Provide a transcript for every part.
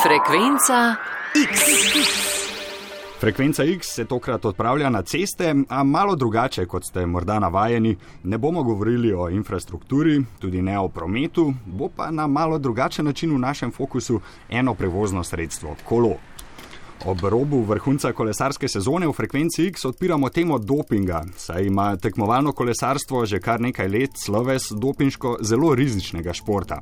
Frekvenca X. Frekvenca X se tokrat odpravlja na ceste, a malo drugače, kot ste morda navajeni. Ne bomo govorili o infrastrukturi, tudi ne o prometu, bo pa na malo drugačen način v našem fokusu eno prevozno sredstvo – kolo. Ob robu vrhunca kolesarske sezone v Frekvenci X odpiramo temo dopinga, saj ima tekmovalno kolesarstvo že kar nekaj let sloves dopinško zelo rizičnega športa.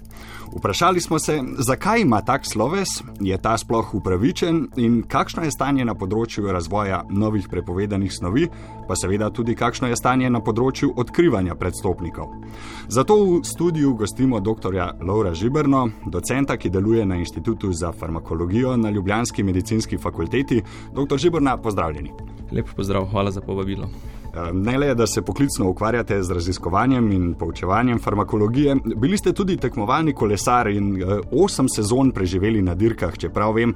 Vprašali smo se, zakaj ima tak sloves, je ta sploh upravičen in kakšno je stanje na področju razvoja novih prepovedanih snovi, pa seveda tudi kakšno je stanje na področju odkrivanja predstopnikov. Zato v studiu gostimo dr. Lovra Žiberno, docenta, ki deluje na Inštitutu za farmakologijo na ljubljanski medicinski fakulteti. Dr. Žiberna, pozdravljeni. Lep pozdrav, hvala za povabilo. Ne le, da se poklicno ukvarjate z raziskovanjem in poučevanjem farmakologije, bili ste tudi tekmovalni kolesar in 8 sezon preživeli na dirkah, čeprav vem.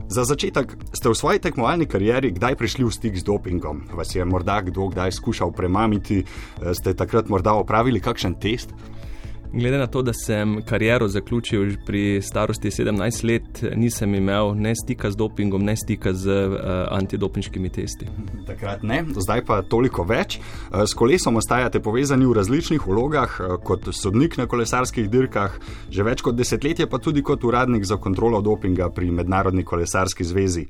Za začetek, ste v svoji tekmovalni karieri kdaj prišli v stik z dopingom? Vas je morda kdo kdaj skušal premamiti? Ste takrat morda opravili kakšen test? Glede na to, da sem kariero zaključil pri starosti 17 let, nisem imel ne stika z dopingom, ne stika z antidopinškimi testi. Takrat ne, zdaj pa toliko več. S kolesom ostajate povezani v različnih vlogah, kot sodnik na kolesarskih dirkah, že več kot desetletje pa tudi kot uradnik za kontrolo dopinga pri Mednarodni kolesarski zvezi.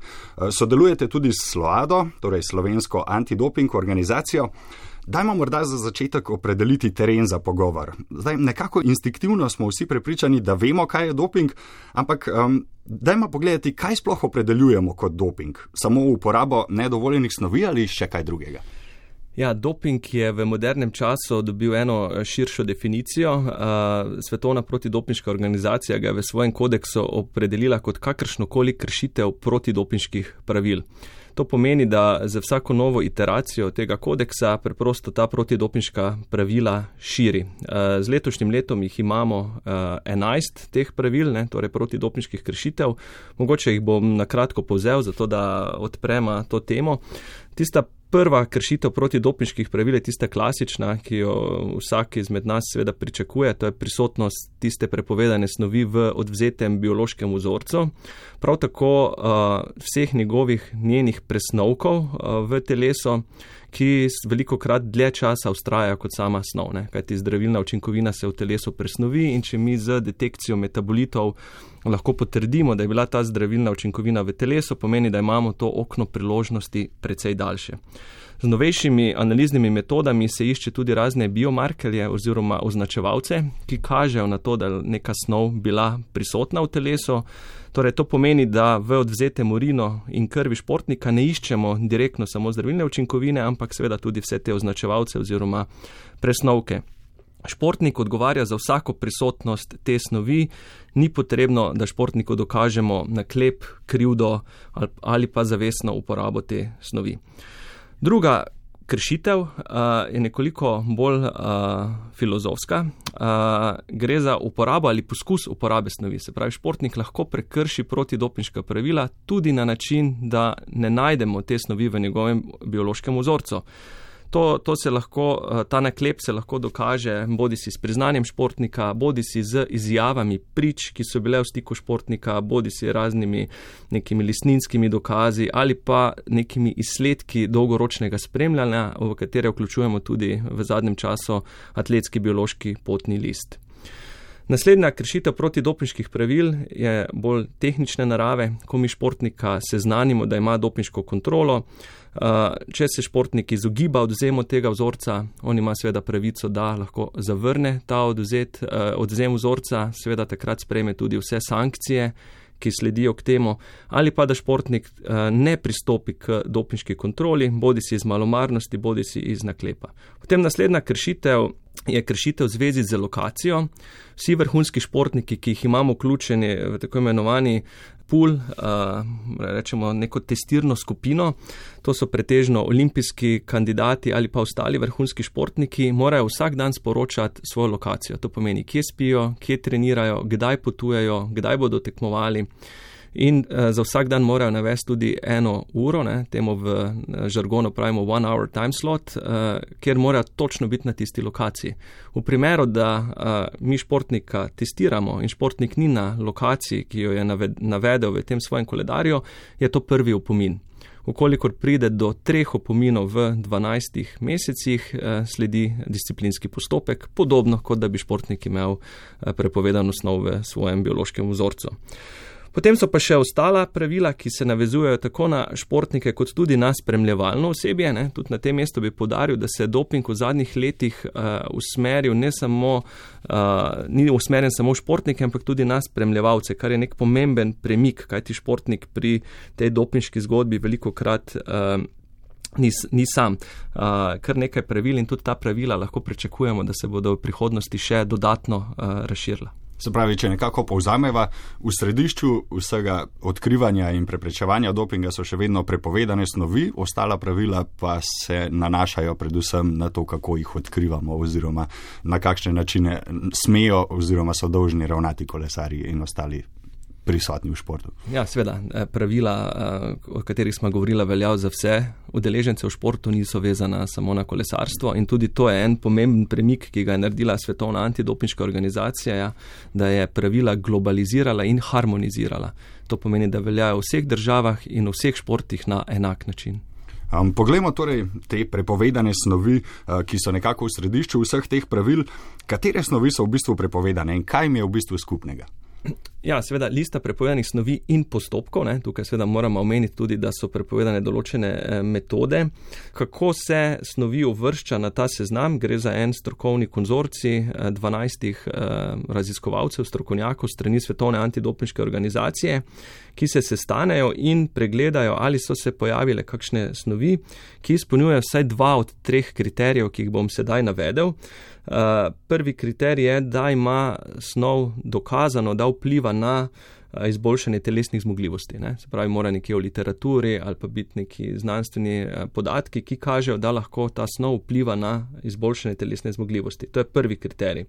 Sodelujete tudi s SLOADO, torej slovensko antidoping organizacijo. Dajmo morda za začetek opredeliti teren za pogovor. Zdaj, nekako instinktivno smo vsi prepričani, da vemo, kaj je doping, ampak dajmo pogledati, kaj sploh opredeljujemo kot doping. Samo uporabo nedovoljenih snovi ali še kaj drugega? Ja, doping je v modernem času dobil eno širšo definicijo. Svetovna protidopinška organizacija ga je v svojem kodeksu opredelila kot kakršnokoli kršitev protidopinških pravil. To pomeni, da za vsako novo iteracijo tega kodeksa preprosto ta protidopinška pravila širi. Z letošnjim letom jih imamo 11 teh pravil, torej protidopinških kršitev. Mogoče jih bom na kratko povzel, zato da odprema to temo. Tista prva kršitev protidopinških pravil je tista klasična, ki jo vsak izmed nas seveda pričakuje, to je prisotnost tiste prepovedane snovi v odvzetem biološkem vzorcu. Prav tako vseh njenih presnovkov v telesu, ki velikokrat dlje časa vztrajajo kot sama snov, kajti zdravilna učinkovina se v telesu presnovi in če mi z detekcijo metabolitov lahko potrdimo, da je bila ta zdravilna učinkovina v telesu, pomeni, da imamo to okno priložnosti precej daljše. Z novejšimi analiznimi metodami se išče tudi razne biomarkerje oziroma označevalce, ki kažejo na to, da je neka snov bila prisotna v telesu. Torej, to pomeni, da v odvzetem urinu in krvi športnika ne iščemo direktno samo zdravilne učinkovine, ampak seveda tudi vse te označevalce oziroma presnovke. Športnik odgovarja za vsako prisotnost te snovi, ni potrebno, da športniku dokažemo naklep, krivdo ali pa zavestno uporabo te snovi. Druga kršitev je nekoliko bolj filozofska. Gre za uporabo ali poskus uporabe snovi. Se pravi, športnik lahko prekrši protidopinška pravila tudi na način, da ne najdemo te snovi v njegovem biološkem vzorcu. Ta naklep se lahko dokaže bodisi s priznanjem športnika, bodisi z izjavami prič, ki so bile v stiku športnika, bodisi raznimi nekimi listninskimi dokazi ali pa nekimi izsledki dolgoročnega spremljanja, v katere vključujemo tudi v zadnjem času atletski biološki potni list. Naslednja kršitev protidopinških pravil je bolj tehnične narave, ko mi športnika seznanimo, da ima dopinško kontrolo. Če se športnik izogiba odvzemu tega vzorca, on ima seveda pravico, da lahko zavrne ta odvzem vzorca, seveda takrat sprejme tudi vse sankcije, ki sledijo k temu, ali pa da športnik ne pristopi k dopinški kontroli, bodisi iz malomarnosti, bodisi iz naklepa. Potem naslednja kršitev je kršitev v zvezi z lokacijo. Vsi vrhunski športniki, ki jih imamo vključeni v tako imenovani pool, rečemo neko testirno skupino, to so pretežno olimpijski kandidati ali pa ostali vrhunski športniki, morajo vsak dan sporočati svojo lokacijo. To pomeni, kje spijo, kje trenirajo, kdaj potujejo, kdaj bodo tekmovali. in za vsak dan morajo navesti tudi 1 uro, temu v žargonu pravimo 1 hour time slot, kjer morajo točno biti na tisti lokaciji. V primeru, da mi športnika testiramo in športnik ni na lokaciji, ki jo je navedel v tem svojem koledarju, je to prvi opomin. Ukolikor pride do 3 opominov v 12 mesecih, sledi disciplinski postopek, podobno kot da bi športnik imel prepovedano snov v svojem biološkem vzorcu. Potem so pa še ostala pravila, ki se navezujejo tako na športnike, kot tudi na spremljevalno osebje. Tudi na tem mestu bi poudaril, da se doping v zadnjih letih usmeril ni usmerjen samo v športnike, ampak tudi na spremljevalce, kar je nek pomemben premik, kajti športnik pri tej dopinški zgodbi velikokrat ni sam. Kar nekaj pravil in tudi ta pravila lahko pričakujemo, da se bodo v prihodnosti še dodatno razširila. Se pravi, če nekako povzameva, v središču vsega odkrivanja in preprečevanja dopinga so še vedno prepovedane snovi, ostala pravila pa se nanašajo predvsem na to, kako jih odkrivamo oziroma na kakšne načine smejo oziroma so dolžni ravnati kolesarji in ostali prisotni v športu. Ja, seveda, pravila, o katerih smo govorili, veljajo za vse udeležence v športu, niso vezana samo na kolesarstvo in tudi to je en pomemben premik, ki ga je naredila Svetovna antidopinška organizacija, da je pravila globalizirala in harmonizirala. To pomeni, da veljajo v vseh državah in v vseh športih na enak način. Poglejmo torej te prepovedane snovi, ki so nekako v središču vseh teh pravil. Katere snovi so v bistvu prepovedane in kaj jim je v bistvu skupnega? Ja, seveda lista prepovedanih snovi in postopkov, tukaj seveda moramo omeniti tudi, da so prepovedane določene metode. Kako se snovi uvršča na ta seznam? Gre za en strokovni konzorcij 12 raziskovalcev, strokovnjakov strani Svetovne antidopinške organizacije, ki se sestanejo in pregledajo, ali so se pojavile kakšne snovi, ki izpolnjujejo vsaj 2 od 3 kriterijev, ki jih bom sedaj navedel. Prvi kriterij je, da ima snov dokazano, da vpliva na izboljšanje telesnih zmogljivosti. Se pravi, mora nekje v literaturi ali pa biti neki znanstveni podatki, ki kažejo, da lahko ta snov vpliva na izboljšanje telesne zmogljivosti. To je prvi kriterij.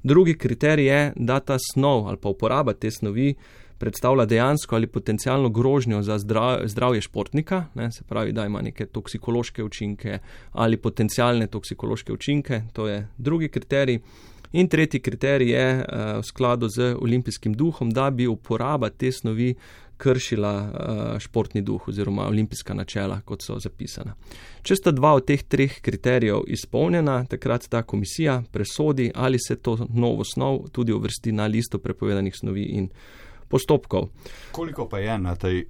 Drugi kriterij je, da ta snov ali pa uporaba te snovi predstavlja dejansko ali potencialno grožnjo za zdravje športnika, se pravi, da ima neke toksikološke učinke ali potencialne toksikološke učinke, to je drugi kriterij. In tretji kriterij je v skladu z olimpijskim duhom, da bi uporaba te snovi kršila športni duh oziroma olimpijska načela, kot so zapisana. Če sta 2 od teh 3 kriterijev izpolnjena, takrat ta komisija presodi, ali se to novo snov tudi uvrsti na listo prepovedanih snovi in postopkov. Koliko pa je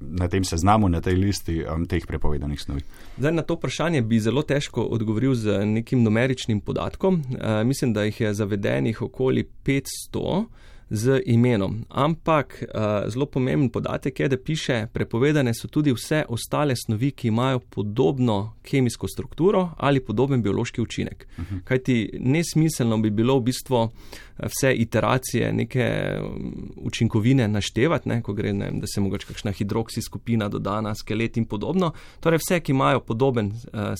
na tem seznamu, na tej listi teh prepovedanih snovi? Zdaj, na to vprašanje bi zelo težko odgovoril z nekim numeričnim podatkom. Mislim, da jih je zavedenih okoli 500 z imenom. Ampak zelo pomemben podatek je, da piše, prepovedane so tudi vse ostale snovi, ki imajo podobno kemijsko strukturo ali podoben biološki učinek. Kajti nesmiselno bi bilo v bistvu vse iteracije neke učinkovine naštevati, ko gre, da se mogoče kakšna hidroksi skupina dodana, skelet in podobno. Torej vse, ki imajo podoben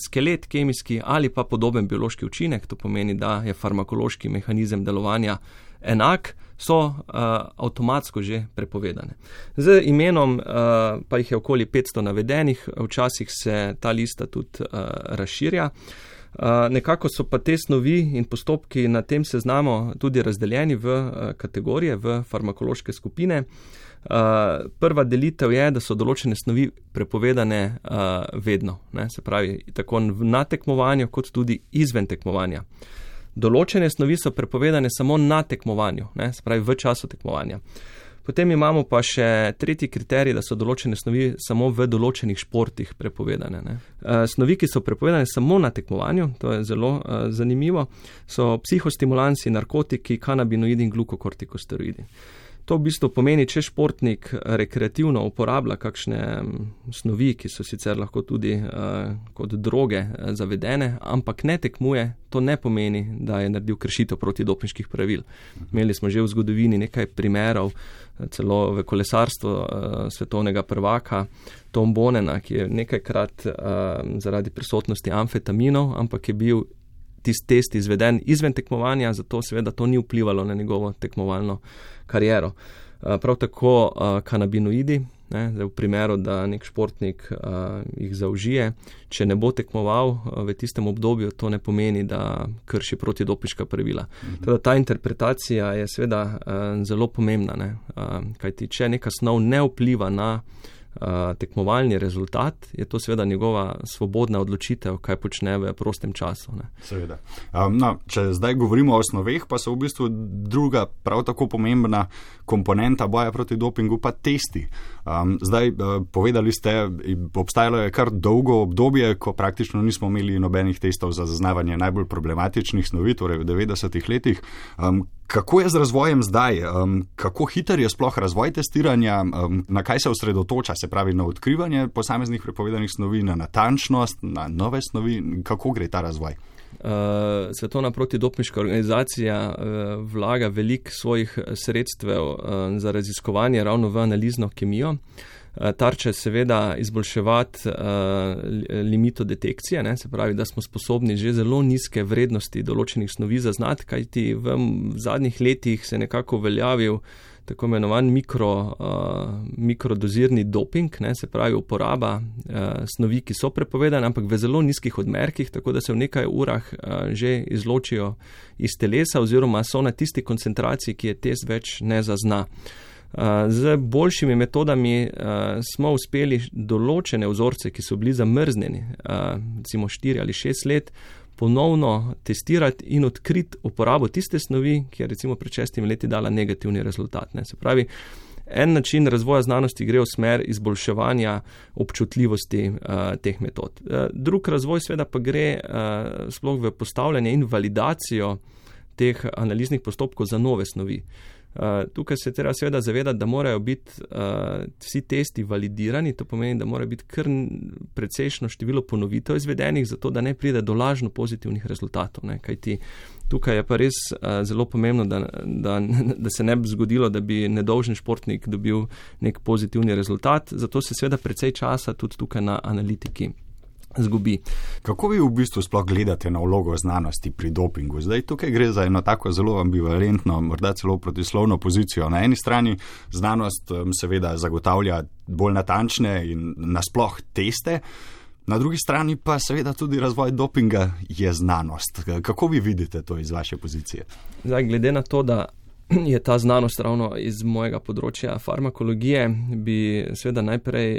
skelet kemijski ali pa podoben biološki učinek, to pomeni, da je farmakološki mehanizem delovanja enak, so avtomatsko že prepovedane. Z imenom pa jih je okoli 500 navedenih, včasih se ta lista tudi razširja. Nekako so pa te snovi in postopki na tem seznamu tudi razdeljeni v kategorije, v farmakološke skupine. Prva delitev je, da so določene snovi prepovedane vedno, se pravi tako na tekmovanju kot tudi izven tekmovanja. Določene snovi so prepovedane samo na tekmovanju, se pravi v času tekmovanja. Potem imamo pa še tretji kriterij, da so določene snovi samo v določenih športih prepovedane. Snovi, ki so prepovedane samo na tekmovanju, to je zelo zanimivo, so psihostimulansi, narkotiki, kanabinoidi in glukokortikosteroidi. To v bistvu pomeni, če športnik rekreativno uporablja kakšne snovi, ki so sicer lahko tudi kot droge zavedene, ampak ne tekmuje, to ne pomeni, da je naredil kršitev protidopinških pravil. Imeli smo že v zgodovini nekaj primerov, celo v kolesarstvu svetovnega prvaka Tom Bonena, ki je nekajkrat zaradi prisotnosti amfetaminov, ampak je bil tisti test izveden izven tekmovanja, zato seveda to ni vplivalo na njegovo tekmovalno kariero. Prav tako kanabinoidi, Zdaj, v primeru, da nek športnik jih zaužije, če ne bo tekmoval v tistem obdobju, to ne pomeni, da krši protidopinška pravila. Teda ta interpretacija je seveda zelo pomembna, kajti če neka snov ne vpliva na tekmovalni rezultat, je to seveda njegova svobodna odločitev, kaj počne v prostem času. Seveda. Če zdaj govorimo o snoveh, pa so v bistvu druga prav tako pomembna komponenta boja proti dopingu pa testi. Zdaj povedali ste, obstajalo je kar dolgo obdobje, ko praktično nismo imeli nobenih testov za zaznavanje najbolj problematičnih snovi, torej v 90-ih letih. Kako je z razvojem zdaj? Kako hiter je sploh razvoj testiranja? Na kaj se osredotoča? Se pravi na odkrivanje posameznih prepovedanih snovi, na natančnost, na nove snovi? Kako gre ta razvoj? Svetovna protidopinška organizacija vlaga veliko svojih sredstev za raziskovanje ravno v analizno kemijo. Tarča je seveda izboljševati limito detekcije, se pravi, da smo sposobni že zelo nizke vrednosti določenih snovi zaznati, kajti v zadnjih letih se nekako uveljavil tako imenovan mikrodozirni doping, se pravi uporaba snovi, ki so prepovedane, ampak v zelo nizkih odmerkih, tako da se v nekaj urah že izločijo iz telesa oziroma so na tisti koncentraciji, ki je test več ne zazna. Z boljšimi metodami smo uspeli določene vzorce, ki so bili zamrznjeni, recimo 4 ali 6 let, ponovno testirati in odkriti uporabo tiste snovi, ki je recimo pred 6 leti dala negativni rezultat. Se pravi, en način razvoja znanosti gre v smer izboljševanja občutljivosti teh metod. Drug razvoj seveda pa gre sploh v postavljanje in validacijo teh analiznih postopkov za nove snovi. Tukaj se treba seveda zavedati, da morajo biti vsi testi validirani, to pomeni, da mora biti kar precejšno število ponovitev izvedenih, zato da ne pride do lažno pozitivnih rezultatov. Kajti tukaj je pa res zelo pomembno, da se ne bi zgodilo, da bi nedolžen športnik dobil nek pozitivni rezultat, zato se seveda precej časa tudi tukaj na analitiki zgubi. Kako vi v bistvu sploh gledate na vlogo znanosti pri dopingu? Zdaj tukaj gre za eno tako zelo ambivalentno, morda celo protislovno pozicijo. Na eni strani znanost seveda zagotavlja bolj natančne in nasploh teste, na drugi strani pa seveda tudi razvoj dopinga je znanost. Kako vi vidite to iz vaše pozicije? Zdaj, glede na to, da je ta znanost ravno iz mojega področja farmakologije, bi seveda najprej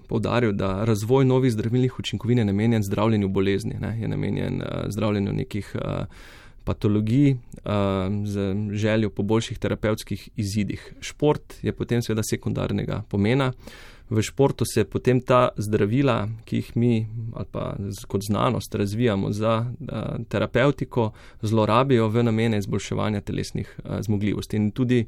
poudaril, da razvoj novih zdravilnih učinkovin je namenjen zdravljenju bolezni, je namenjen zdravljenju nekih patologij z željo po boljših terapevtskih izidih. Šport je potem seveda sekundarnega pomena. V športu se potem ta zdravila, ki jih mi ali pa kot znanost razvijamo za terapevtiko, zlorabijo v namene izboljševanja telesnih zmogljivosti. In tudi,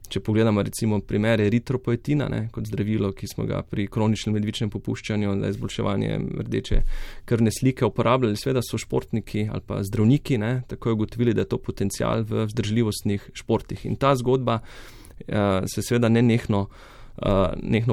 če pogledamo recimo primer eritropoetina, kot zdravilo, ki smo ga pri kroničnem ledvičnem popuščanju za izboljševanje rdeče krvne slike uporabljali, seveda so športniki ali pa zdravniki takoj ugotovili, da je to potencial v vzdržljivostnih športih. In ta zgodba se seveda nenehno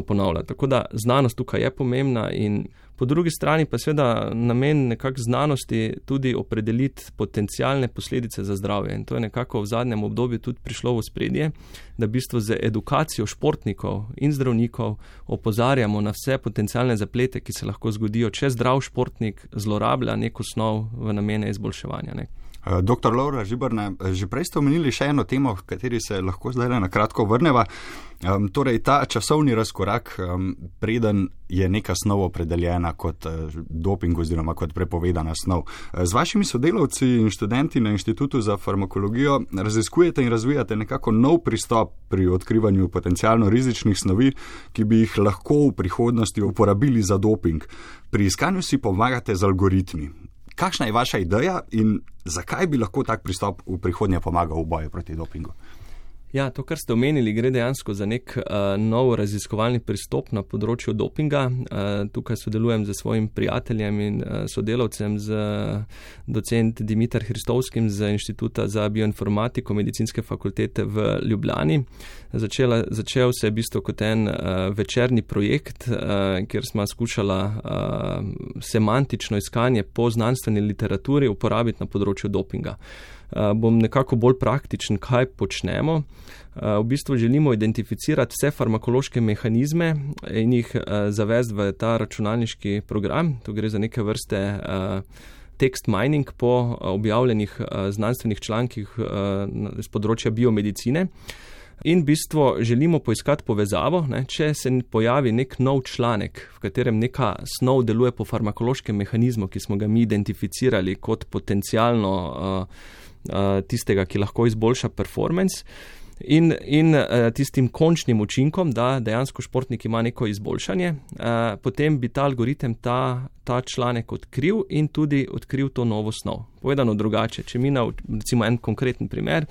ponavlja. Tako da znanost tukaj je pomembna in po drugi strani pa seveda namen nekako znanosti tudi opredeliti potencialne posledice za zdravje. In to je nekako v zadnjem obdobju tudi prišlo v spredje, da v bistvu z edukacijo športnikov in zdravnikov opozarjamo na vse potencialne zaplete, ki se lahko zgodijo, če zdrav športnik zlorablja neko snov v namene izboljševanja. Dr. Lovro Žiberna, že prej ste omenili še eno temo, v kateri se lahko zdaj na kratko vrneva. Torej, ta časovni razkorak, preden je neka snov opredeljena kot doping oziroma kot prepovedana snov. Z vašimi sodelavci in študenti na Inštitutu za farmakologijo raziskujete in razvijate nekako nov pristop pri odkrivanju potencialno rizičnih snovi, ki bi jih lahko v prihodnosti uporabili za doping. Pri iskanju si pomagate z algoritmi. Kakšna je vaša ideja in zakaj bi lahko tak pristop v prihodnje pomagal v boju proti dopingu? Ja, to, kar ste omenili, gre dejansko za nek nov raziskovalni pristop na področju dopinga. Tukaj sodelujem z svojim prijateljem in sodelavcem, z docent Dimitar Hristovskim z Inštituta za bioinformatiko Medicinske fakultete v Ljubljani. Začel se je v bistvu kot en večerni projekt, kjer smo skušala semantično iskanje po znanstveni literaturi uporabiti na področju dopinga. bom nekako bolj praktičen, kaj počnemo. V bistvu želimo identificirati vse farmakološke mehanizme in jih zavesti v ta računalniški program. To gre za neke vrste text mining po objavljenih znanstvenih člankih z področja biomedicine. In v bistvu želimo poiskati povezavo, če se pojavi nek nov članek, v katerem neka snov deluje po farmakološkem mehanizmu, ki smo ga mi identificirali kot potencialno tistega, ki lahko izboljša performance, in tistim končnim učinkom, da dejansko športnik ima neko izboljšanje, potem bi ta algoritem ta članek odkril in tudi odkril to novo snov. Povedano drugače, če mi recimo en konkreten primer,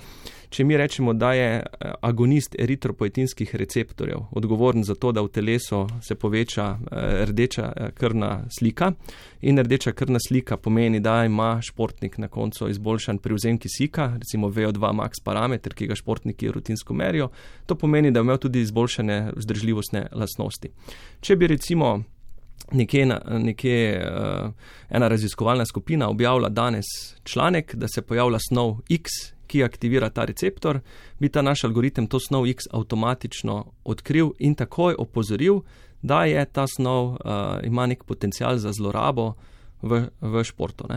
če mi rečemo, da je agonist eritropoetinskih receptorjev odgovoren za to, da v telesu se poveča rdeča krvna slika, in rdeča krvna slika pomeni, da ima športnik na koncu izboljšan privzem kisika, recimo VO2 max parameter, ki ga športniki rutinsko merijo, to pomeni, da ima tudi izboljšane vzdržljivostne lastnosti. Če bi recimo ena raziskovalna skupina objavila danes članek, da se pojavlja snov X, ki aktivira ta receptor, bi ta naš algoritem to snov X avtomatično odkril in takoj opozoril, da je ta snov ima nek potencial za zlorabo v športu.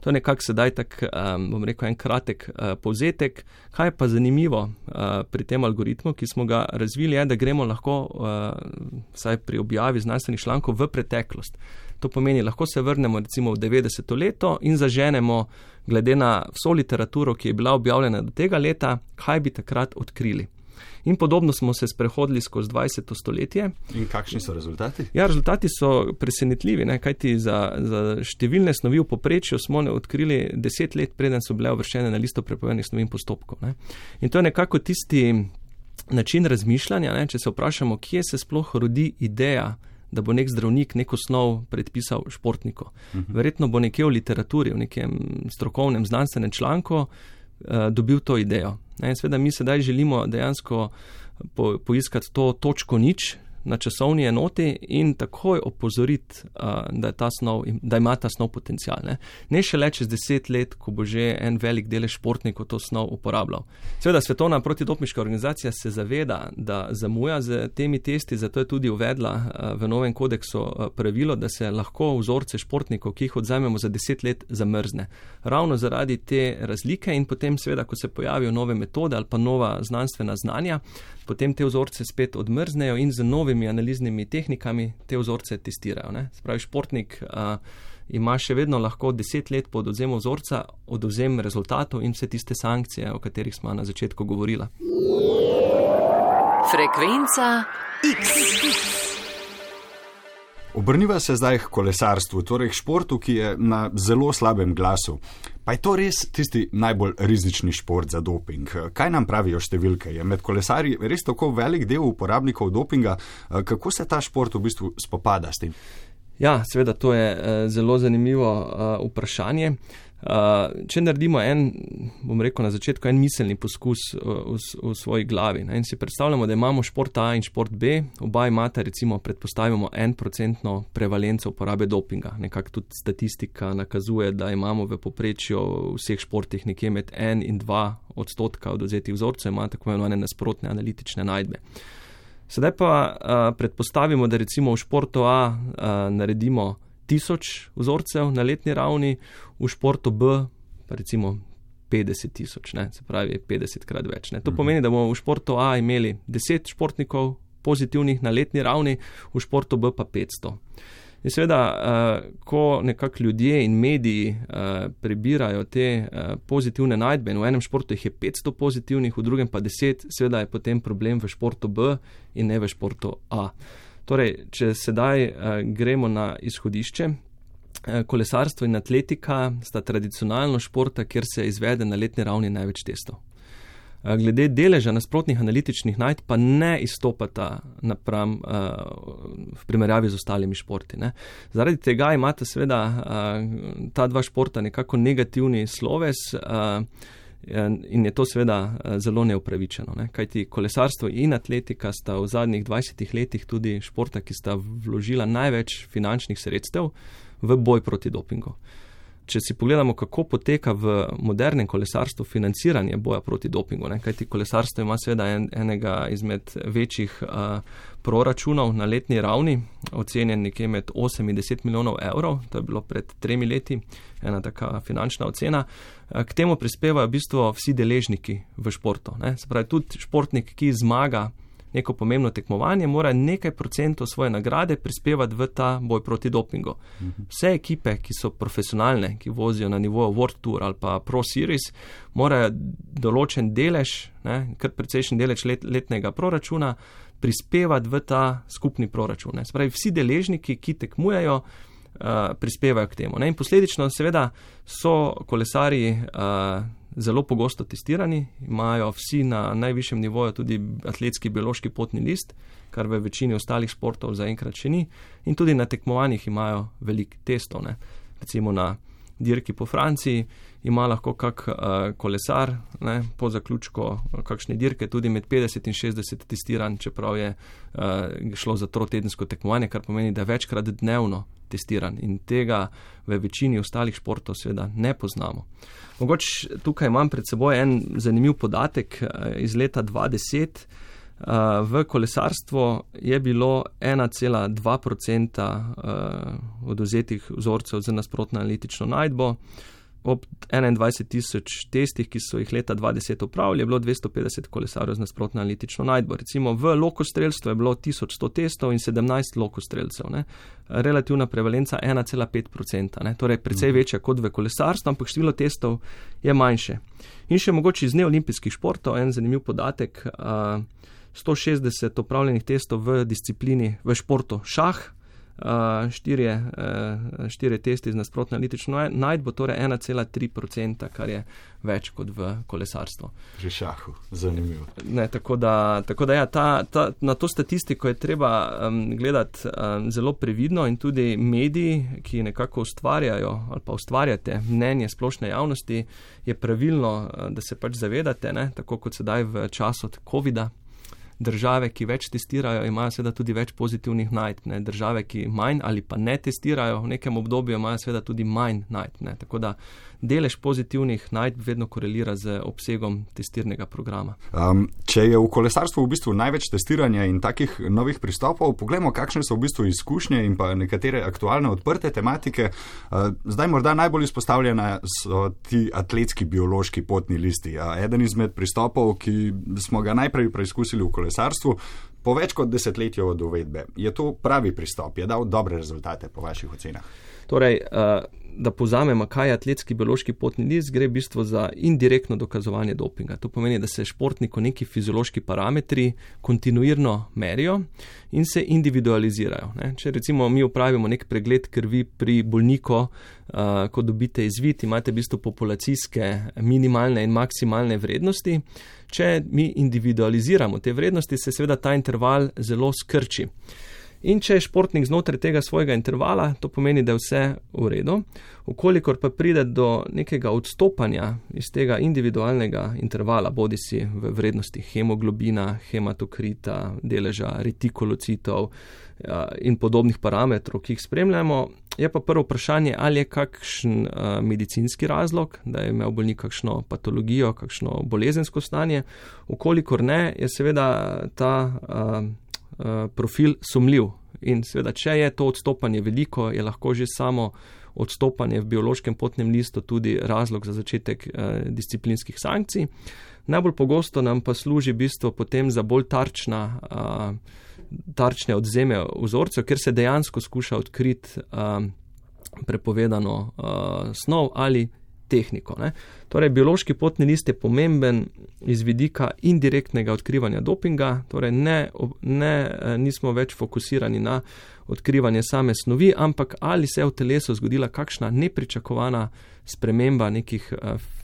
To je nekako sedaj bom rekel, en kratek povzetek. Kaj je pa zanimivo pri tem algoritmu, ki smo ga razvili, je, da gremo lahko vsaj pri objavi znanstvenih člankov v preteklost. To pomeni, lahko se vrnemo recimo v 90. leto in zaženemo, glede na vso literaturo, ki je bila objavljena do tega leta, kaj bi takrat odkrili. In podobno smo se sprehodili skozi 20. stoletje. In kakšni so rezultati? Ja, rezultati so presenetljivi, kajti za številne snovi v povprečju smo odkrili 10 let, preden so bile uvrščene na listo prepovedanih snovi in postopkov. In to je nekako tisti način razmišljanja, če se vprašamo, kje se sploh rodi ideja, da bo nek zdravnik neko snov predpisal športniku. Verjetno bo nekje v literaturi, v nekem strokovnem znanstvenem članku dobil to idejo. Seveda mi sedaj želimo dejansko poiskati to točko nič na časovni enoti in takoj opozoriti, da ima ta snov potencial. Ne šele čez 10 let, ko bo že en velik delež športnikov to snov uporabljal. Seveda Svetovna protidopinška organizacija se zaveda, da zamuja z temi testi, zato je tudi uvedla v novem kodeksu pravilo, da se lahko vzorce športnikov, ki jih odzamemo za 10 let, zamrzne. Ravno zaradi te razlike in potem seveda, ko se pojavijo nove metode ali pa nova znanstvena znanja, potem te vzorce spet odmrznejo in z novimi analiznimi tehnikami te vzorce testirajo. Spravi, športnik ima še vedno lahko 10 let po odvzemu vzorca odvzem rezultatov in vse tiste sankcije, o katerih smo na začetku govorila. Frekvenca X. Obrniva se zdaj k kolesarstvu, torej k športu, ki je na zelo slabem glasu. Pa je to res tisti najbolj rizični šport za doping? Kaj nam pravijo številke? Je med kolesarji res tako velik del uporabnikov dopinga? Kako se ta šport v bistvu spopada s tem? Ja, seveda, to je zelo zanimivo vprašanje. Če naredimo bom rekel na začetku, en miselni poskus v svoji glavi in si predstavljamo, da imamo šport A in šport B, oba imata recimo, predpostavimo 1% prevalenco uporabe dopinga. Nekako tudi statistika nakazuje, da imamo v povprečju v vseh športih nekje med 1 in 2% odvzetih vzorcev, ima tako imenovane nasprotne analitične najdbe. Sedaj pa predpostavimo, da recimo v športu A naredimo 1000 vzorcev na letni ravni, v športu B pa recimo 50,000, se pravi 50krat več. To pomeni, da bomo v športu A imeli 10 športnikov pozitivnih na letni ravni, v športu B pa 500. In seveda, ko nekako ljudje in mediji prebirajo te pozitivne najdbe, in v enem športu jih je 500 pozitivnih, v drugem pa 10, seveda je potem problem v športu B in ne v športu A. Torej, če sedaj gremo na izhodišče, kolesarstvo in atletika sta tradicionalno športa, kjer se izvede na letni ravni največ testov. Glede deleža nasprotnih analitičnih najdb pa ne izstopata napram v primerjavi z ostalimi športi. Zaradi tega imata seveda ta dva športa nekako negativni sloves in je to seveda zelo neupravičeno. Kajti kolesarstvo in atletika sta v zadnjih 20 letih tudi športa, ki sta vložila največ finančnih sredstev v boj proti dopingu. če si pogledamo, kako poteka v modernem kolesarstvu financiranje boja proti dopingu, kajti kolesarstvo ima seveda enega izmed večjih proračunov na letni ravni, ocenjen nekje med 8 in 10 milijonov evrov, to je bilo pred 3 leti, ena taka finančna ocena. K temu prispevajo v bistvu vsi deležniki v športu. Se pravi, tudi športnik, ki zmaga neko pomembno tekmovanje, mora nekaj procentov svoje nagrade prispevati v ta boj proti dopingu. Vse ekipe, ki so profesionalne, ki vozijo na nivoju World Tour ali pa Pro Series, morajo določen delež, kar precejšen delež letnega proračuna, prispevati v ta skupni proračun. Se pravi, vsi deležniki, ki tekmujejo, prispevajo k temu. In posledično seveda so kolesarji zelo pogosto testirani, imajo vsi na najvišjem nivoju tudi atletski biološki potni list, kar v večini ostalih športov zaenkrat še ni, in tudi na tekmovanjih imajo veliko testov. Recimo na dirki po Franciji ima lahko kak kolesar po zaključku kakšne dirke tudi med 50 in 60 testiran, čeprav je šlo za trotedensko tekmovanje, kar pomeni, da je večkrat dnevno testiran in tega v večini ostalih športov seveda ne poznamo. Mogoče tukaj imam pred seboj en zanimiv podatek iz leta 2010. V kolesarstvu je bilo 1,2% odvzetih vzorcev z nasprotno analitično najdbo. Ob 21,000 testih, ki so jih leta 2010 opravili, je bilo 250 kolesarjev z nasprotno analitično najdbo. Recimo v lokostrelstvu je bilo 1100 testov in 17 lokostrelcev. Relativna prevalenca 1,5%. Torej precej večja kot v kolesarstvu, ampak število testov je manjše. In še mogoče iz neolimpijskih športov en zanimiv podatek. 160 opravljenih testov v disciplini, v športu šah, 4 testi z nasprotno analitično najdbo, torej 1,3%, kar je več kot v kolesarstvu. Že šahu, zanimivo. Tako da ja, na to statistiko je treba gledati zelo previdno in tudi mediji, ki nekako ustvarjajo ali pa ustvarjate mnenje splošne javnosti, je pravilno, da se pač zavedate, tako kot sedaj v času COVID-a. Države, ki več testirajo, imajo seveda tudi več pozitivnih najdb. Države, ki manj ali pa ne testirajo v nekem obdobju, imajo seveda tudi manj najdb. Tako da delež pozitivnih najdb vedno korelira z obsegom testirnega programa. Če je v kolesarstvu v bistvu največ testiranja in takih novih pristopov, poglejmo, kakšne so v bistvu izkušnje in pa nekatere aktualne odprte tematike. Zdaj morda najbolj izpostavljena so ti atletski biološki potni listi. Eden izmed pristopov, ki smo ga najprej preizkusili v kolesarstvu, po več kot desetletju od uvedbe. Je to pravi pristop? Je dal dobre rezultate po vaših ocenah? Torej, da povzamemo, kaj je atletski biološki potni list, gre v bistvu za indirektno dokazovanje dopinga. To pomeni, da se športniku neki fiziološki parametri kontinuirno merijo in se individualizirajo. Če recimo mi opravimo nek pregled krvi pri bolniku, ko dobite izvid, imate v bistvu populacijske minimalne in maksimalne vrednosti. Če mi individualiziramo te vrednosti, se seveda ta interval zelo skrči. In če je športnik znotraj tega svojega intervala, to pomeni, da je vse v redu. Ukolikor pa pride do nekega odstopanja iz tega individualnega intervala, bodi si v vrednosti hemoglobina, hematokrita, deleža retikulocitov in podobnih parametrov, ki jih spremljamo, je pa prvo vprašanje, ali je kakšen medicinski razlog, da je imel bolnik kakšno patologijo, kakšno bolezensko stanje. Ukolikor ne, je seveda ta profil sumljiv. In seveda, če je to odstopanje veliko, je lahko že samo odstopanje v biološkem potnem listu tudi razlog za začetek disciplinskih sankcij. Najbolj pogosto nam pa služi v bistvu potem za bolj tarčne odvzeme vzorcev, ker se dejansko skuša odkriti prepovedano snov ali tehniko. Torej, biološki potni list je pomemben iz vidika indirektnega odkrivanja dopinga, torej nismo več fokusirani na odkrivanje same snovi, ampak ali se je v telesu zgodila kakšna nepričakovana sprememba nekih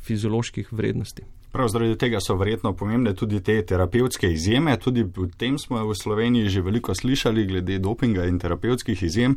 fizioloških vrednosti. Prav zaradi tega so verjetno pomembne tudi te terapevtske izjeme. Tudi o tem smo v Sloveniji že veliko slišali glede dopinga in terapevtskih izjem.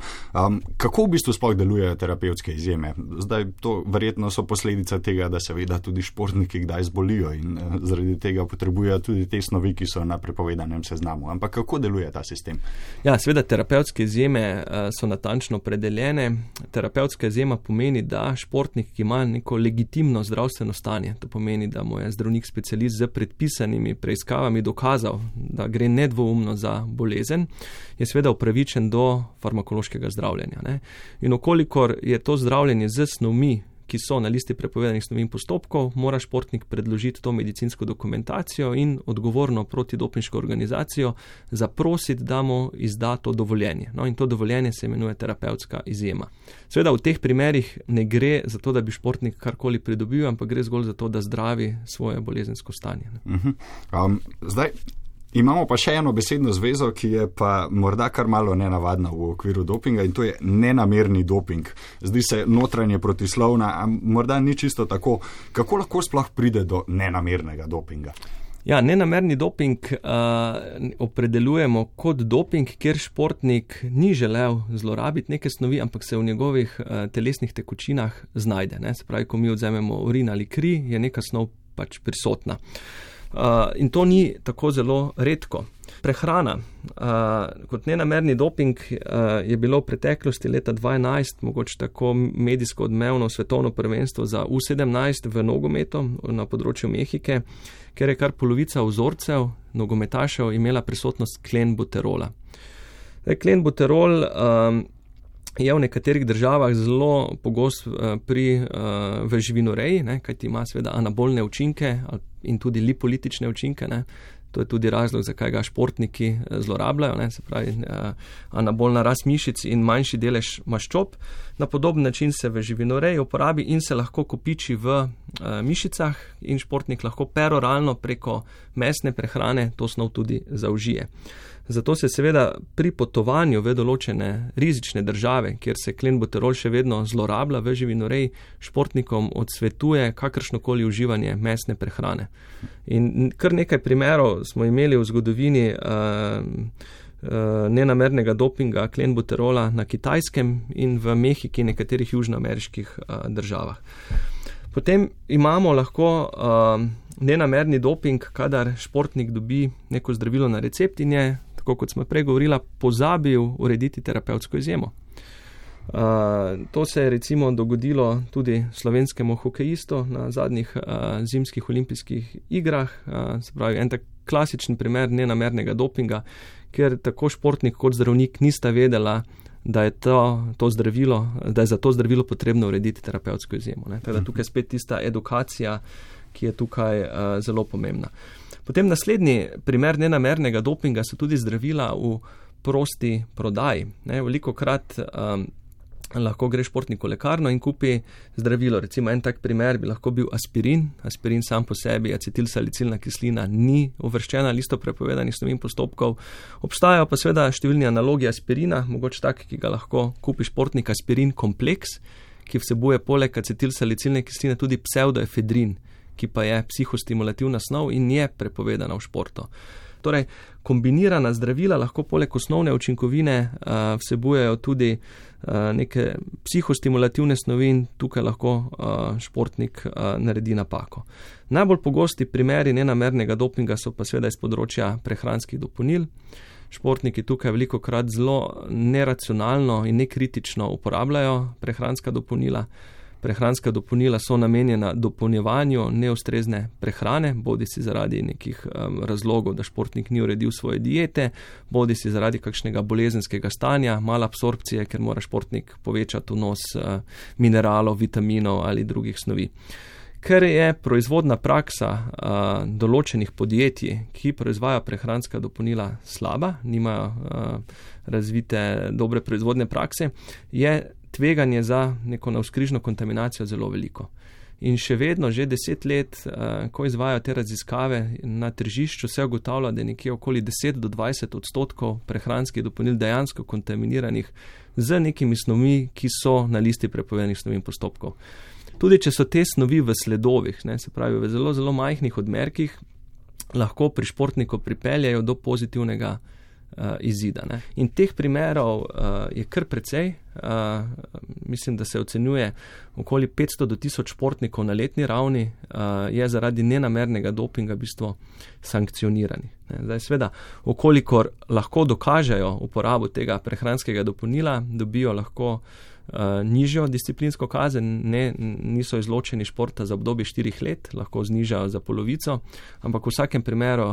Kako v bistvu sploh delujejo terapevtske izjeme? Zdaj, to verjetno so posledica tega, da seveda tudi športniki kdaj zbolijo in zaradi tega potrebujejo tudi te snovi, ki so na prepovedanem seznamu. Ampak kako deluje ta sistem? Ja, seveda terapevtske izjeme so natančno opredeljene. Terapevtska izjema pomeni, da športnik, ki ima neko legitimno zdravstveno stanje, to pomeni, da mu je zdravnik specialist z predpisanimi preiskavami dokazal, da gre nedvoumno za bolezen, je seveda upravičen do farmakološkega zdravljenja. Ne? In okolikor je to zdravljenje z snovmi, ki so na listi prepovedanih snovi in postopkov, mora športnik predložiti to medicinsko dokumentacijo in odgovorno protidopinško organizacijo zaprositi, da mu izda to dovoljenje. No, in to dovoljenje se imenuje terapevtska izjema. Seveda v teh primerih ne gre za to, da bi športnik karkoli pridobil, ampak gre zgolj za to, da zdravi svoje bolezensko stanje. Zdaj, imamo pa še eno besedno zvezo, ki je pa morda kar malo nenavadna v okviru dopinga in to je nenamerni doping. Zdi se notranje protislovna, a morda ni čisto tako. Kako lahko sploh pride do nenamernega dopinga? Ja, nenamerni doping opredeljujemo kot doping, kjer športnik ni želel zlorabiti neke snovi, ampak se v njegovih telesnih tekočinah znajde. Ne? Se pravi, ko mi odzememo urin ali kri, je neka snov pač prisotna. In to ni tako zelo redko. Prehrana kot nenamerni doping je bilo v preteklosti leta 2011 mogoče tako medijsko odmevno svetovno prvenstvo za U17 v nogometu na področju Mehike, ker je kar polovica vzorcev nogometašev imela prisotnost klenbuterola. Klenbuterol je v nekaterih državah zelo pogost v živinoreji, kajti ima seveda anabolne učinke in tudi lipolitične učinke. Ne. To je tudi razlog, zakaj ga športniki zlorabljajo, ne. Se pravi anabolna rast mišic in manjši delež maščob. Na podoben način se v živinoreji uporabi in se lahko kopiči v mišicah in športnik lahko peroralno preko mesne prehrane to snov tudi zaužije. Zato se seveda pri potovanju v določene rizične države, kjer se klenbuterol še vedno zlorablja v živinoreji, športnikom odsvetuje kakršnokoli uživanje mesne prehrane. In kar nekaj primerov smo imeli v zgodovini nenamernega dopinga klenbuterola na Kitajskem in v Mehiki in nekaterih južnoameriških državah. Potem imamo lahko nenamerni doping, kadar športnik dobi neko zdravilo na recept in je, tako kot smo prej govorila, pozabil urediti terapevtsko izjemo. To se je recimo dogodilo tudi slovenskemu hokejistu na zadnjih zimskih olimpijskih igrah, se pravi en tak klasičen primer nenamernega dopinga, ker tako športnik kot zdravnik nista vedela, da je za to zdravilo potrebno urediti terapevtsko izjemo. Tako da tukaj spet tista edukacija, ki je tukaj zelo pomembna. Potem naslednji primer nenamernega dopinga so tudi zdravila v prosti prodaji. Velikokrat lahko gre športnik v lekarno in kupi zdravilo. Recimo en tak primer bi lahko bil aspirin. Aspirin sam po sebi, acetilsalicilna kislina, ni uvrščena na listo prepovedanih snovi in postopkov. Obstajajo pa seveda številni analogi aspirina, mogoče tak, ki ga lahko kupi športnik, aspirin kompleks, ki vsebuje poleg acetilsalicilne kisline tudi pseudoefedrin, ki pa je psihostimulativna snov in je prepovedana v športu. Torej, kombinirana zdravila lahko poleg osnovne učinkovine vsebujejo tudi neke psihostimulativne snovi in tukaj lahko športnik naredi napako. Najbolj pogosti primeri nenamernega dopinga so pa seveda iz področja prehranskih dopolnil. Športniki tukaj velikokrat zelo neracionalno in nekritično uporabljajo prehranska dopolnila. Prehranska dopolnila so namenjena dopolnjevanju neustrezne prehrane, bodi si zaradi nekih razlogov, da športnik ni uredil svoje diete, bodi si zaradi kakšnega bolezenskega stanja, malo absorpcije, ker mora športnik povečati vnos mineralov, vitaminov ali drugih snovi. Ker je proizvodna praksa določenih podjetij, ki proizvajajo prehranska dopolnila slaba, nimajo razvite dobre proizvodne prakse, je tveganje za neko navzkrižno kontaminacijo zelo veliko. In še vedno, že 10 let, ko izvajajo te raziskave na tržišču, se ugotavlja, da je nekje okoli 10-20% prehranskih dopolnil dejansko kontaminiranih z nekimi snovmi, ki so na listi prepovedanih snovi in postopkov. Tudi če so te snovi v sledovih, ne, se pravi v zelo, zelo majhnih odmerkih, lahko pri športniku pripeljajo do pozitivnega izida. Ne. In teh primerov je kar precej. Mislim, da se ocenjuje okoli 500 do 1000 športnikov na letni ravni je zaradi nenamernega dopinga v bistvu sankcionirani. Zdaj, seveda, okolikor lahko dokažejo uporabo tega prehranskega dopolnila, dobijo lahko nižjo disciplinsko kazen, niso izločeni športa za obdobje 4 let, lahko znižajo za polovico, ampak v vsakem primeru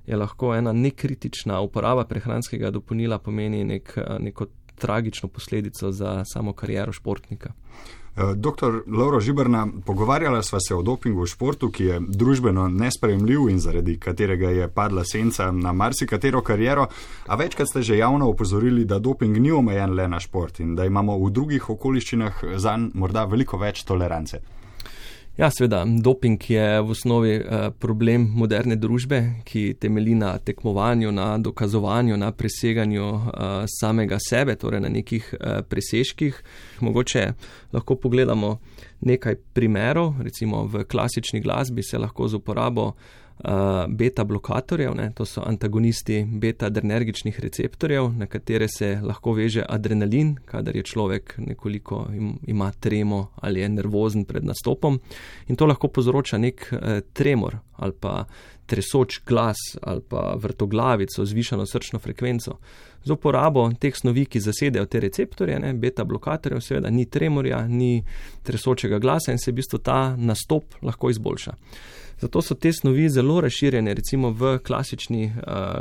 je lahko ena nekritična uporaba prehranskega dopolnila pomeni neko tragično posledico za samo kariero športnika. Dr. Lovro Žiberna, pogovarjala sva se o dopingu v športu, ki je družbeno nesprejemljiv in zaradi katerega je padla senca na marsikatero kariero, a večkrat ste že javno opozorili, da doping ni omejen le na šport in da imamo v drugih okoliščinah zanj morda veliko več tolerance. Ja, seveda, doping je v osnovi problem moderne družbe, ki temelji na tekmovanju, na dokazovanju, na preseganju samega sebe, torej na nekih presežkih. Mogoče lahko pogledamo nekaj primerov, recimo v klasični glasbi se lahko z uporabo beta blokatorjev, to so antagonisti beta-adrenergičnih receptorjev, na katere se lahko veže adrenalin, kadar je človek nekoliko ima tremo ali je nervozen pred nastopom, in to lahko povzroča nek tremor ali pa tresoč glas ali pa vrtoglavico, zvišano srčno frekvenco. Z uporabo teh snovi, ki zasedejo te receptorje, beta-blokatorjev, seveda ni tremorja, ni tresočega glasa in se v bistvu ta nastop lahko izboljša. Zato so te snovi zelo razširjene, recimo v klasični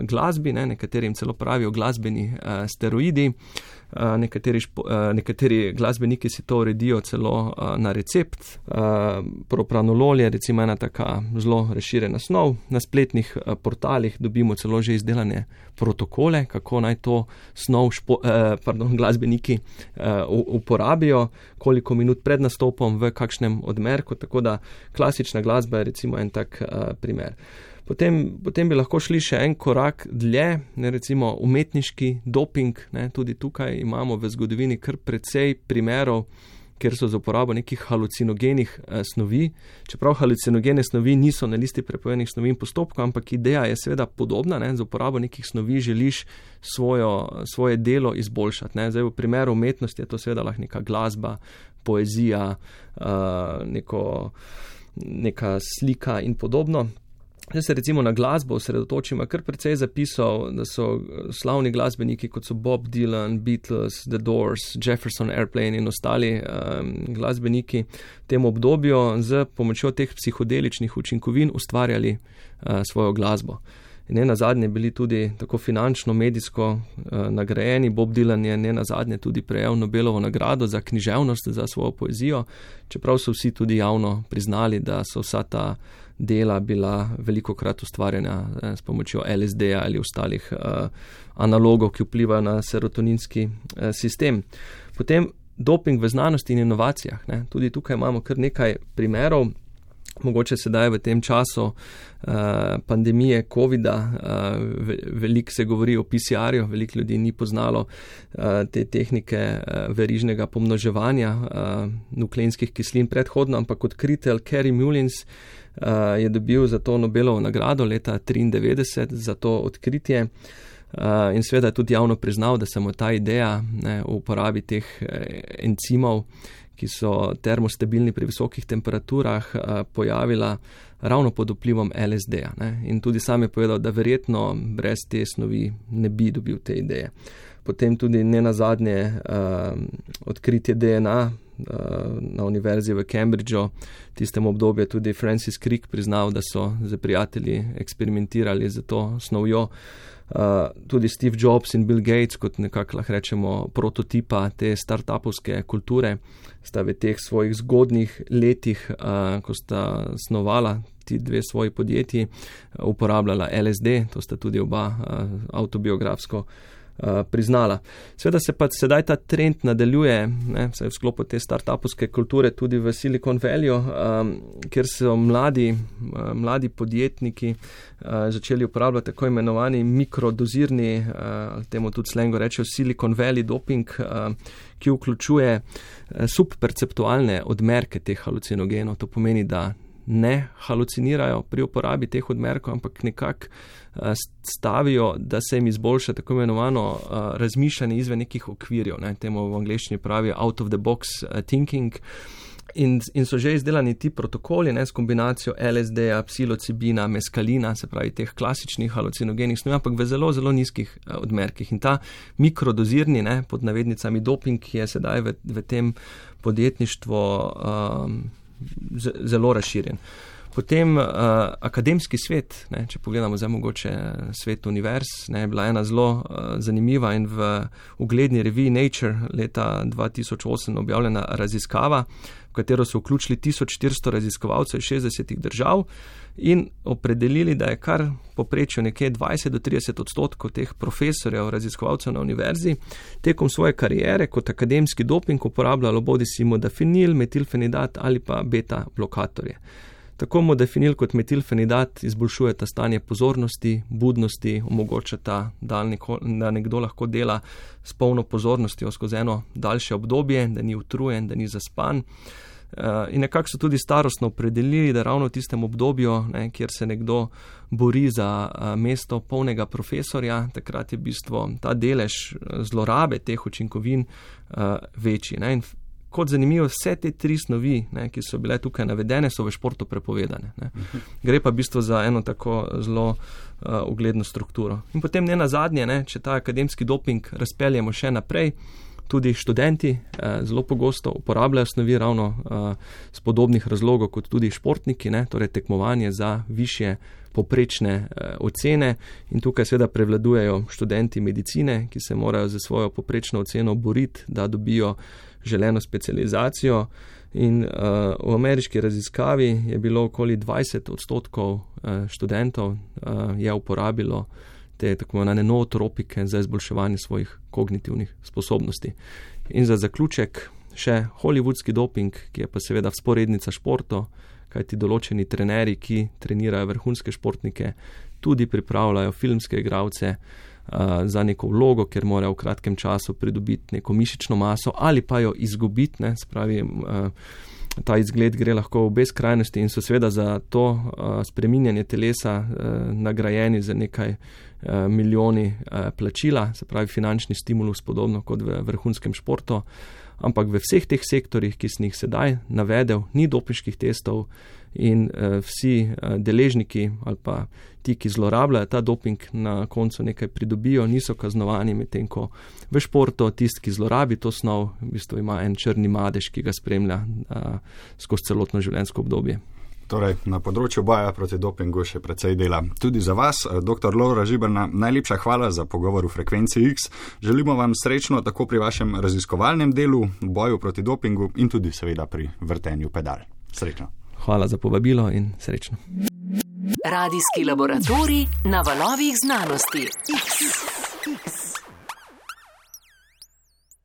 glasbi, nekaterim celo pravijo glasbeni steroidi, nekateri glasbeniki si to uredijo celo na recept. Propranolol je recimo ena taka zelo razširjena snov. Na spletnih portalih dobimo celo že izdelane protokole, kako naj to snov glasbeniki uporabijo, koliko minut pred nastopom, v kakšnem odmerku, tako da klasična glasba je recimo en tak primer. Potem bi lahko šli še en korak dlje, recimo umetniški doping, tudi tukaj imamo v zgodovini kar precej primerov, kjer so za uporabo nekih halucinogenih snovi, čeprav halucinogene snovi niso na listi prepovedanih snovi in postopkov, ampak ideja je seveda podobna, za uporabo nekih snovi želiš svoje delo izboljšati. Zdaj v primeru umetnosti je to seveda lahko neka glasba, poezija, neka slika in podobno. Zdaj se recimo na glasbo osredotočimo, kar precej zapisal, da so slavni glasbeniki, kot so Bob Dylan, Beatles, The Doors, Jefferson Airplane in ostali glasbeniki v tem obdobju z pomočjo teh psihodeličnih učinkovin ustvarjali svojo glasbo. In nenazadnje bili tudi tako finančno, medijsko nagrajeni. Bob Dylan je nenazadnje tudi prejel Nobelovo nagrado za književnost, za svojo poezijo, čeprav so vsi tudi javno priznali, da so vsa ta dela bila velikokrat ustvarjena s pomočjo LSD-ja ali ostalih analogov, ki vplivajo na serotoninski sistem. Potem doping v znanosti in inovacijah. Tudi tukaj imamo kar nekaj primerov. Mogoče sedaj v tem času pandemije COVID-a veliko se govori o PCR-ju, veliko ljudi ni poznalo te tehnike verižnega pomnoževanja nukleinskih kislin predhodno, ampak odkritelj Kary Mullins je dobil za to Nobelovo nagrado leta 1993 za to odkritje in seveda je tudi javno priznal, da se mu ta ideja o uporabi teh encimov, ki so termostabilni pri visokih temperaturah, pojavila ravno pod vplivom LSD-ja. In tudi sam je povedal, da verjetno brez te snovi ne bi dobil te ideje. Potem tudi nenazadnje odkritje DNA na univerzi v Cambridgeu, tistem obdobju tudi Francis Crick priznal, da so z prijatelji eksperimentirali z to snovjo. Tudi Steve Jobs in Bill Gates, kot nekako lahko rečemo prototipa te startupovske kulture, sta v teh svojih zgodnjih letih, ko sta snovala ti dve svoji podjetji, uporabljala LSD, to sta tudi oba avtobiografsko priznala. Seveda se pa sedaj ta trend nadaljuje, v sklopu te startupovske kulture tudi v Silicon Valley, kjer so mladi podjetniki začeli uporabljati tako imenovani mikrodozirni, temu tudi slengo rečejo Silicon Valley doping, ki vključuje subperceptualne odmerke teh halucinogenov. To pomeni, da ne halucinirajo pri uporabi teh odmerkov, ampak nekako stavijo, da se jim izboljša tako imenovano razmišljanje izven nekih okvirjev. Temu v angleščini pravijo out of the box thinking. In so že izdelani ti protokoli s kombinacijo LSD-ja, psilocibina, meskalina, se pravi teh klasičnih halucinogenih snovi, ampak v zelo, zelo nizkih odmerkih. In ta mikrodozirni, pod navednicami doping, je sedaj v tem podjetništvu zelo razširjen. Potem akademski svet, če pogledamo zdaj mogoče svet univerz, je bila ena zelo zanimiva in v ugledni reviji Nature leta 2008 objavljena raziskava, v katero so vključili 1400 raziskovalcev iz 60 držav in opredelili, da je kar poprečju nekje 20-30% teh profesorjev, raziskovalcev na univerzi tekom svoje kariere kot akademski doping uporabljalo bodisi modafinil, metilfenidat ali pa beta blokatorje. Tako modafinil kot metilfenidat izboljšujeta stanje pozornosti, budnosti, omogočata, da nekdo lahko dela s polno pozornostjo skozi eno daljše obdobje, da ni utrujen, da ni zaspan. In nekako so tudi starostno opredelili, da ravno v tistem obdobju, kjer se nekdo bori za mesto polnega profesorja, takrat je v bistvu ta delež zlorabe teh učinkovin večji. In kot zanimivo, vse te 3 snovi, ki so bile tukaj navedene, so v športu prepovedane. Gre pa v bistvu za eno tako zelo ugledno strukturo. In potem ne nazadnje, če ta akademski doping razpeljemo še naprej, tudi študenti zelo pogosto uporabljajo snovi ravno z podobnih razlogov kot tudi športniki, torej tekmovanje za višje poprečne ocene in tukaj seveda prevladujejo študenti medicine, ki se morajo za svojo poprečno oceno boriti, da dobijo želeno specializacijo in v ameriški raziskavi je bilo okoli 20% študentov je uporabilo te tako imenovane nootropike za izboljševanje svojih kognitivnih sposobnosti. In za zaključek še hollywoodski doping, ki je pa seveda vzporednica športov, kajti določeni trenerji, ki trenirajo vrhunske športnike, tudi pripravljajo filmske igralce za neko vlogo, ker morajo v kratkem času pridobiti neko mišično maso ali pa jo izgubiti, spravi ta izgled gre lahko v obe skrajnosti in so seveda za to spreminjanje telesa nagrajeni za nekaj milijoni plačila, se pravi finančni stimulus podobno kot v vrhunskem športu, ampak v vseh teh sektorjih, ki sem jih sedaj navedel, ni dopinških testov in vsi deležniki ali pa ti, ki zlorabljajo ta doping, na koncu nekaj pridobijo, niso kaznovani, medtem ko v športu tisti, ki zlorabi to snov, v bistvu ima en črni madež, ki ga spremlja skozi celotno življenjsko obdobje. Torej, na področju boja proti dopingu še precej dela. Tudi za vas, dr. Lovro Žiberna, najlepša hvala za pogovor v Frekvenci X. Želimo vam srečno tako pri vašem raziskovalnem delu, boju proti dopingu in tudi seveda pri vrtenju pedal. Srečno. Hvala za povabilo in srečno. Radijski laboratorij na valovih znanosti. X.